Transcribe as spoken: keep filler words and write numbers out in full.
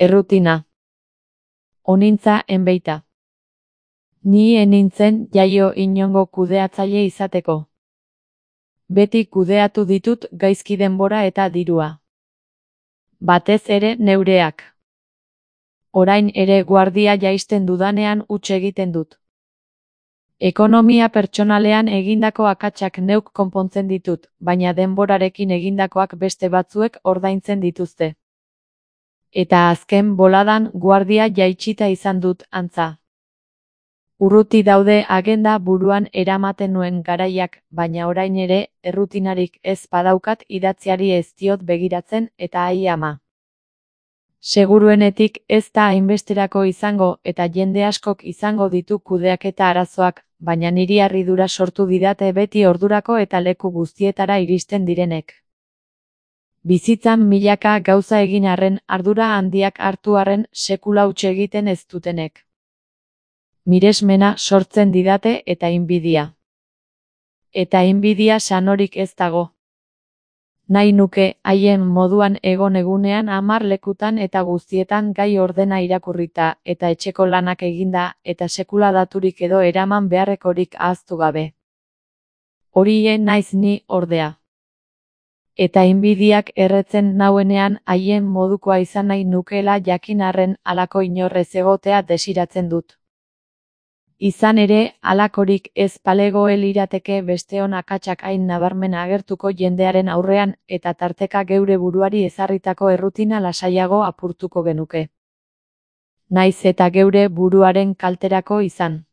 Errutina. Onintza enbeita. Ni enintzen jaio inongo kudeatzaile izateko. Beti kudeatu ditut gaizki denbora eta dirua. Batez ere neureak. Orain ere guardia jaisten dudanean huts egiten dut. Ekonomia pertsonalean egindako akatsak neuk konpontzen ditut, baina denborarekin egindakoak beste batzuek ordaintzen dituzte. Eta azken boladan guardia jaitsita izan dut, antza. Urruti daude agenda buruan eramaten nuen garaiak, baina orain ere errutinarik ez badaukat idatziari ez diot begiratzen eta ai ama. Seguruenetik ez da hainbesterako izango eta jende askok izango ditu kudeaketa arazoak, baina niri harridura sortu didate beti ordurako eta leku guztietara iristen direnek. Bizitzan milaka gauza egin arren, ardura handiak hartu arren sekula huts egiten ez dutenek. Miresmena sortzen didate eta inbidia. Eta inbidia sanorik ez dago. Nahi nuke haien moduan egon egunean hamar lekutan eta guztietan gai ordena irakurrita eta etxeko lanak eginda eta sekula daturik edo eraman beharrekorik ahaztu gabe. Horie naiz ni ordea. Eta inbidiak erretzen nauenean haien modukoa izan nahi nukeela jakin arren halako inorrez egotea desiratzen dut. Izan ere, halakorik ez balego lirateke besteon akatsak hain nabarmen agertuko jendearen aurrean eta tarteka geure buruari ezarritako errutina lasaiago apurtuko genuke. Naiz eta geure buruaren kalterako izan.